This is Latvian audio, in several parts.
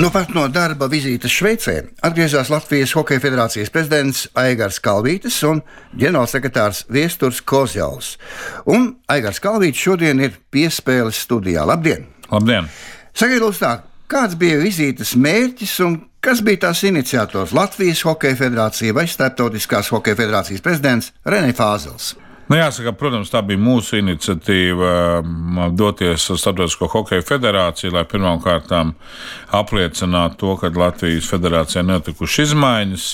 Nu pat no darba vizītes Šveicē atgriezās Latvijas Hokeja federācijas prezidents Aigars Kalvītis un ģenerālsekretārs Viesturs Kozjauls. Un Aigars Kalvītis šodien ir piespēles studijā. Labdien! Labdien! Sakiet, lūdzu tā, kāds bija vizītes mērķis un kas bija tās iniciators Latvijas Hokeja federācija vai Starptautiskās Hokeja federācijas prezidents Renē Fāzels? Jāsaka, protams, tā bija mūsu iniciatīva doties uz Starptautisko Hokeja federāciju, lai pirmkārt apliecinātu to, ka Latvijas federācijā notikušas izmaiņas,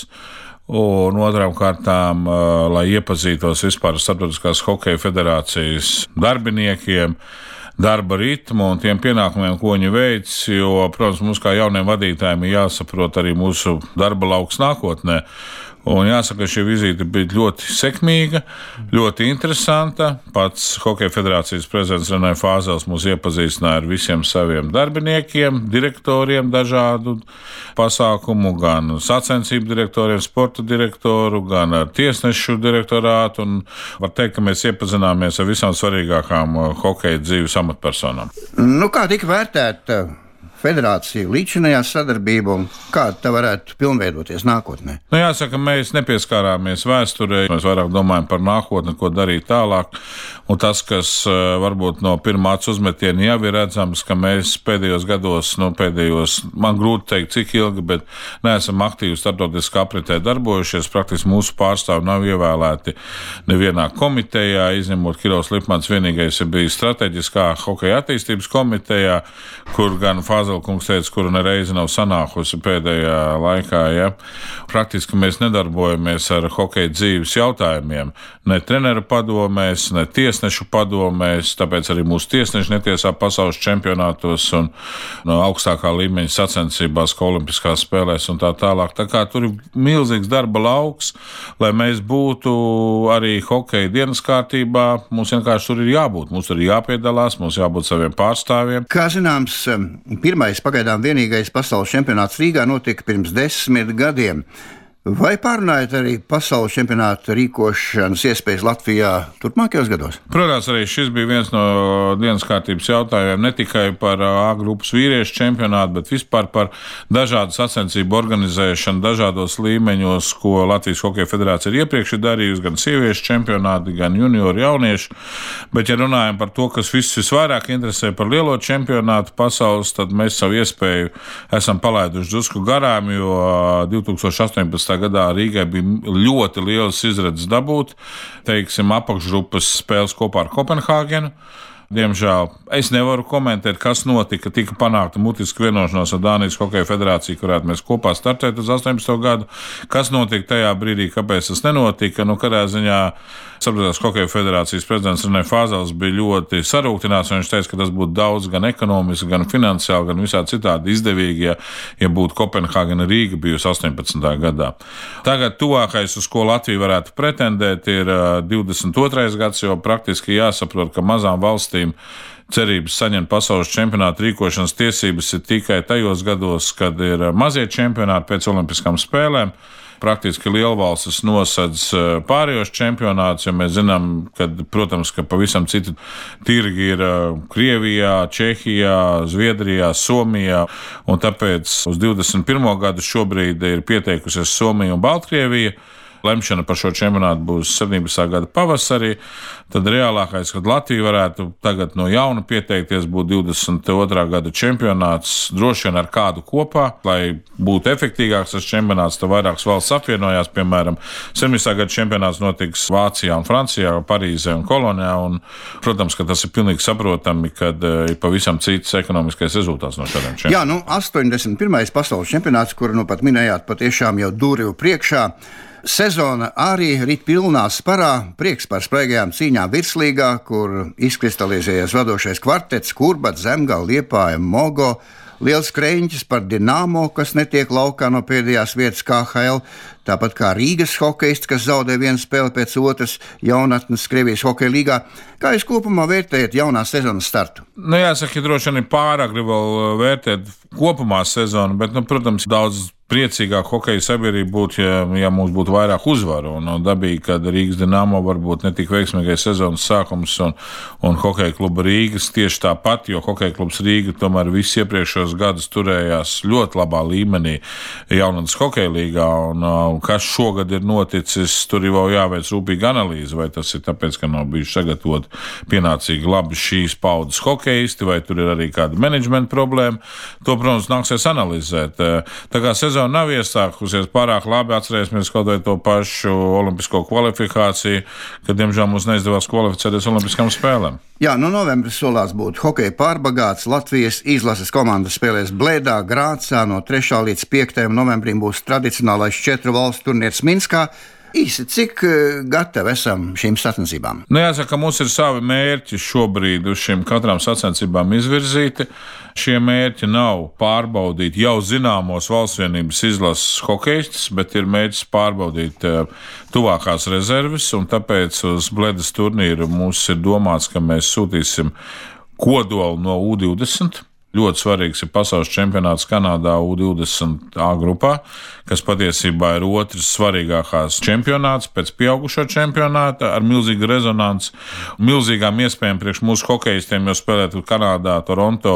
un otrām kārtām, lai iepazītos vispār ar Starptautiskās Hokeja federācijas darbiniekiem, darba ritmu un tiem pienākumiem, ko viņi veic, jo, protams, mums kā jauniem vadītājiem ir jāsaprot arī mūsu darba lauks nākotnē. Un jāsaka, ka šī vizīte bija ļoti sekmīga, ļoti interesanta. Pats Hokeja federācijas prezidents Renē Fāzels mūs iepazīstināja ar visiem saviem darbiniekiem, direktoriem dažādu pasākumu, gan sacensību direktoriem, sporta direktoru, gan ar tiesnešu direktorātu. Un var teikt, ka mēs iepazināmies ar visām svarīgākām hokeja dzīves amatpersonām. Nu, kā tika vērtēta federācija līdzinājā sadarbība un kā tā varētu pilnveidoties nākotnē? Jāsaka, mēs nepieskārāmies vēsturē, mēs vairāk domājam par nākotni, ko darīt tālāk. Un tas, kas varbūt no pirmā acu uzmetiena jau ir redzams, ka mēs pēdējos gados, man grūti teikt, cik ilgi, bet neesam aktīvi starptautiskā apritē darbojušies. Praktiski mūsu pārstāvi nav ievēlēti nevienā komitejā, izņemot Kirovs Lipmans, vienīgais ir bijis strateģiskā hokeja attīstības komitejā, kur gan Fāzelkungs teica, kuru nereizi nav sanākusi pēdējā laikā. Ja? Praktiski mēs nedarbojamies ar hokeja dzīves jautājumiem, ne treneru padomēs, ne tiesnešu padomēs, tāpēc arī mūsu tiesneši netiesā pasaules čempionātos un no augstākā līmeņa sacensībās, kā olimpiskās spēlēs un tā tālāk. Tā kā tur ir milzīgs darba lauks, lai mēs būtu arī hokeja dienas kārtībā, mums vienkārši tur ir jābūt, mums tur ir jāpiedalās, mums jābūt saviem pārstāvjiem. Kā zināms, pirmais pagaidām vienīgais pasaules čempionāts Rīgā notika pirms 10 gadiem. Vai pārunājat arī pasaules čempionāta rīkošanas iespējas Latvijā turpmākajos gados? Protams, arī šis bija viens no dienas kārtības jautājumiem, ne tikai par A grupas vīriešu čempionātu, bet vispār par dažādu sacensību organizēšanu dažādos līmeņos, ko Latvijas Hokeja federācija ir iepriekš darījusi, gan sieviešu čempionāti, gan junioru jauniešu. Bet, ja runājam par to, kas visus visvairāk interesē par lielo čempionātu pasaules, tad mēs savu iespēju esam palaiduši drusku garām, jo 2018. gadā Rīgai bija ļoti liels izredzes dabūt, teiksim, apakšgrupas spēles kopā ar Kopenhāgenu. Diemžēl es nevaru komentēt, kas notika. Tika panākta mutiska vienošanās ar Dānijas Hokeja federāciju, kurā mēs kopā startētu uz 18. gadu. Kas notika tajā brīdī, kāpēc tas nenotika? Katrā ziņā Starptautiskās Hokeja federācijas prezidents Renē Fāzels bija ļoti sarūktināts, un viņš teica, ka tas būtu daudz gan ekonomiski, gan finansiāli, gan visādi citādi izdevīgi, ja būtu Kopenhāgena Rīga bijusi 18. gadā. Tagad tuvākais, uz ko Latvija varētu pretendēt, ir 22. gads, jo praktiski jāsaprot, ka mazām valstīm cerības saņemt pasaules čempionātu rīkošanas tiesības ir tikai tajos gados, kad ir mazie čempionāti pēc olimpiskām spēlēm. Praktiski lielvalstis nosedz pārējos čempionātus, jo mēs zinām, ka, protams, ka pavisam citi tirgi ir Krievijā, Čehijā, Zviedrijā, Somijā, un tāpēc uz 21. gadu šobrīd ir pieteikusies Somija un Baltkrievija. Lemšana par šo čempionātu būs 17. gada pavasarī, tad reālākais, kad Latvija varētu tagad no jauna pieteikties, būtu 22. gada čempionāts, droši vien ar kādu kopā, lai būtu efektīgāks tas čempionāts, tad vairākas valsts apvienojās, piemēram, 17. gada čempionāts notiks Vācijā un Francijā, Parīzē un Kolonijā, un, protams, ka tas ir pilnīgi saprotami, kad ir pavisam cits ekonomiskais rezultāts no šādiem čempionātiem. Jā, 81. pasaules čempionāts, kuru pat minējāt, patiešām jau durvju priekšā. Sezona arī rit pilnā sparā, prieks par spraigajām cīņām virslīgā, kur izkristalizējies vadošais kvartets, Kurbats, Zemgale, Liepāja, Mogo, liels kreņķis par Dinamo, kas netiek laukā no pēdējās vietas KHL, tāpat kā Rīgas hokejists, kas zaudē vienu spēli pēc otras jaunatnes Krievijas hokeja līgā. Kā jūs kopumā vērtējat jaunās sezonas startu? Jāsaka, droši vien ir pāragri vēl vērtēt kopumā sezonu, bet, protams, daudz priecīgāk hokeja sabiedrība būtu, ja mums būtu vairāk uzvaru. Un dabīgi, kad Rīgas Dinamo varbūt ne tik veiksmīgais sezonas sākums un hokeja kluba Rīgas tieši tāpat, jo hokeja klubs Rīga tomēr visus iepriekšējos gadus turējās ļoti labā līmenī jaunatnes hokeja līgā. Un kas šogad ir noticis, tur ir vēl jāveic rūpīga analīze, vai tas ir tāpēc, ka nav bijuši sagatavot pienācīgi labi šīs paudzes hokeisti, vai tur ir arī kāda menedžmenta problēma. To, protams, nāksies analizēt. Tā kā sezona nav iesākusies pārāk labi, atcerēsimies kaut vai to pašu olimpisko kvalifikāciju, kad, diemžēl, mums neizdevās kvalificēties olimpiskām spēlēm. Jā, novembris solās būt hokeja pārbagāts. Latvijas izlases komanda spēlēs Blēdā, Grācā. No 3. līdz 5. novembrim būs tradicionālais 4 valstu turnīrs Minskā. Īsi, cik gatavi esam šīm sacensībām? Jāsaka, mums ir savi mērķi šobrīd uz šīm katrām sacensībām izvirzīti. Šie mērķi nav pārbaudīt jau zināmos valstsvienības izlases hokeistus, bet ir mērķis pārbaudīt tuvākās rezerves, un tāpēc uz Bledas turnīru mums ir domāts, ka mēs sūtīsim kodolu no U20. Ļoti svarīgs ir pasaules čempionāts Kanādā U20 A grupā, kas patiesībā ir otrs svarīgākās čempionāts pēc pieaugušo čempionāta ar milzīgu rezonanci, milzīgām iespējām priekš mūsu hokeistiem, jo spēlēt Kanādā, Toronto,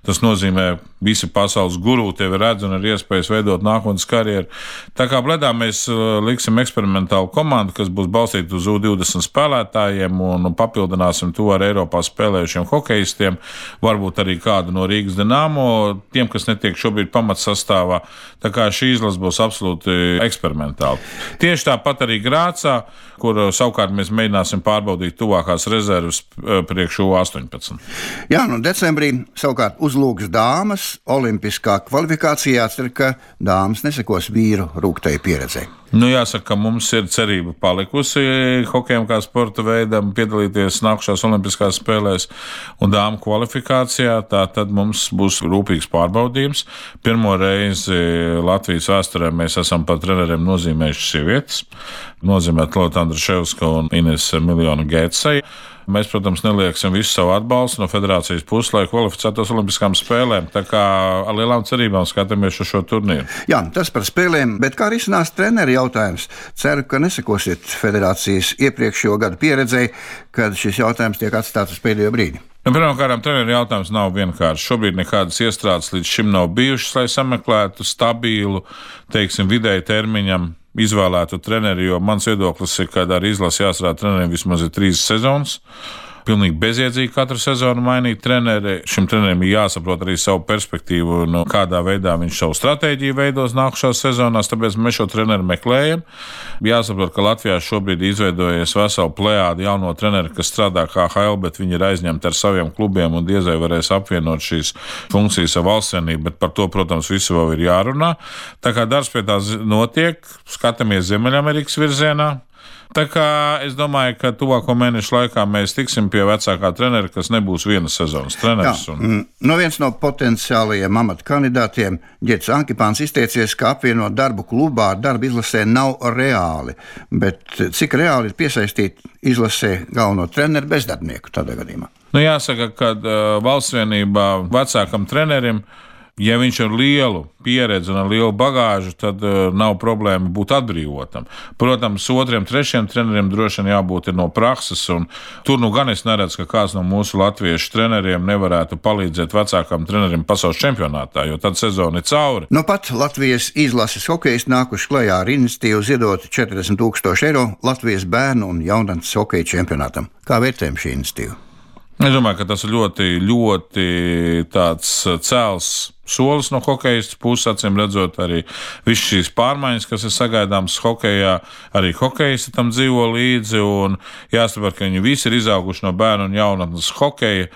tas nozīmē visi pasaules guru tevi redz un ir iespējas veidot nākotnes karjeru. Tā kā Bledā mēs liksim eksperimentālu komandu, kas būs balstīta uz U20 spēlētājiem un papildināsim to ar Eiropā spēlējušiem hokeistiem, varbūt arī kādu no Rīgas Dinamo, tiem, kas netiek šobrīd pamatsastāvā. Tā kā šī izlase būs absolūti eksperimentāla. Tieši tāpat arī Grācā, kur savukārt mēs mēģināsim pārbaudīt tuvākās rezerves priekš U18. Jā, decembrī savukārt uzlūks dāmas olimpiskā kvalifikācijā, cer, ka dāmas nesekos vīru rūgtai pieredzei. Jāsaka, ka mums ir cerība palikusi hokejam kā sporta veidam piedalīties nākušās olimpiskās spēlēs un dāmu kvalifikācijā. Tad mums būs rūpīgs pārbaudījums. Pirmo reizi Latvijas vēsturē mēs esam par treneriem nozīmējuši sievietes. Nozīmēt Lota Andruševska un Inese Miljona Gētsai. Mēs, protams, nelieksim visu savu atbalstu no federācijas puses, lai kvalificētos olimpiskām spēlēm. Tā kā ar lielām cerībām skatāmies uz šo turnīru. Jā, tas par spēlēm, bet kā risinās treneri jautājums? Ceru, ka nesakosiet federācijas iepriekšējo gadu pieredzei, kad šis jautājums tiek atstāts uz pēdējo brīdi. Pirmkārt, treneru jautājums nav vienkāršs. Šobrīd nekādas iestrādes līdz šim nav bijušas, lai sameklētu stabilu, vidēji termiņam izvēlētu treneri, jo mans viedoklis ir, ka ar izlasi jāstrādā treneriem vismaz ir 3 sezonas. Pilnīgi bezjēdzīgi katru sezonu mainīt treneri. Šim trenerim ir jāsaprot arī savu perspektīvu, kādā veidā viņš savu stratēģiju veidos nākušās sezonās, tāpēc mēs šo treneru meklējam. Jāsaprot, ka Latvijā šobrīd izveidojies vesela plejāde jauno treneru, kas strādā KHL, bet viņi ir aizņemti ar saviem klubiem un diez vai varēs apvienot šīs funkcijas ar valstsienību, bet par to, protams, visu vēl ir jārunā. Tā kā darbs pie tā notiek, skatāmies Ziemeļamerikas virzienā. Tā kā es domāju, ka tuvāko mēnešu laikā mēs tiksim pie vecākā trenera, kas nebūs vienas sezonas treneris. Viens no potenciālajiem amata kandidātiem, Ģets Ankipāns, izteicies, ka apvienot darbu klubā ar darbu izlasē nav reāli. Bet cik reāli ir piesaistīt izlasē galveno treneru bezdarbnieku tādā gadījumā? Jāsaka, ka valstsvienībā vecākam trenerim, ja viņš ir lielu pieredzi un ar lielu bagāžu, tad nav problēma būt atbrīvotam. Protams, 2., 3. trenerim droši vien jābūt no prakses, un tur gan es neredzu, ka kāds no mūsu latviešu treneriem nevarētu palīdzēt vecākam trenerim pasaules čempionātā, jo tad sezona ir cauri. Pat Latvijas izlases hokejisti nākuši klajā ar iniciatīvu ziedot 40,000 eiro Latvijas bērnu un jaunatnes hokeja čempionātam. Kā vērtējam šī iniciatīva? Es domāju, ka tas ir ļoti tāds cēls solis no hokejistu puses, acīm redzot arī visas šīs pārmaiņas, kas ir sagaidāmas hokejā, arī hokejisti tam dzīvo līdzi, un jāsaprot, ka viņi visi ir izauguši no bērnu un jaunatnes hokeja,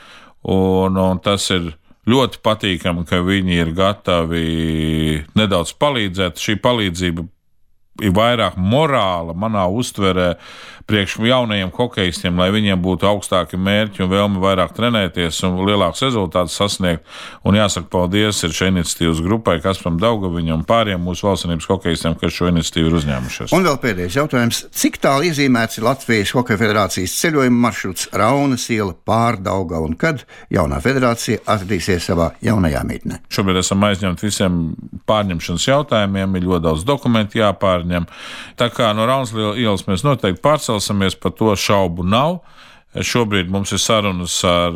un tas ir ļoti patīkami, ka viņi ir gatavi nedaudz palīdzēt. Šī palīdzība ir vairāk morāla manā uztverē priekš jaunajiem hokeistiem, lai viņiem būtu augstāki mērķi un vēlme vairāk trenēties un lielāks rezultāts sasniegt. Un jāsaka paldies ir šai iniciatīvas grupai, Kasparam Daugaviņam un pāriem mūsu valstsvienības hokeistiem, kas šo iniciatīvu ir uzņēmušies. Un vēl pēdējais jautājums. Cik tālu iezīmēts ir Latvijas Hokeja federācijas ceļojuma maršruts Raunas iela pār Daugavu un kad jaunā federācija atradīsies savā jaunajā mītnē? Šobrīd esam aizņemti visiem pārņemšanas jautājumiem, ir ļoti daudz dokumentu jāpārņem. Tā kā no Raunas ielas mēs noteikti pārcelsimies, par to šaubu nav. Šobrīd mums ir sarunas ar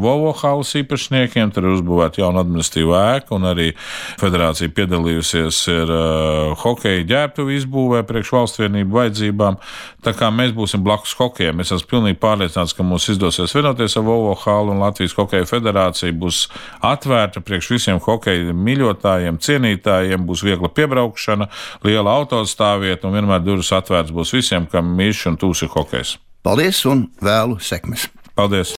Volvo halas īpašniekiem, tur ir uzbūvēta jauna administratīva ēka, un arī federācija piedalījusies ir hokeja ģērbtuvi izbūvē priekš valstsvienību vajadzībām. Tā kā mēs būsim blakus hokejam, es esmu pilnīgi pārliecināts, ka mums izdosies vienoties ar Volvo halu, un Latvijas Hokeja federācija būs atvērta priekš visiem hokeja mīļotājiem, cienītājiem, būs viegla piebraukšana, liela autostāvvieta, un vienmēr durvis atvērts būs visiem, kam mīļš un tūs ir hokejs. Paldies un vēlu sekmes! Paldies!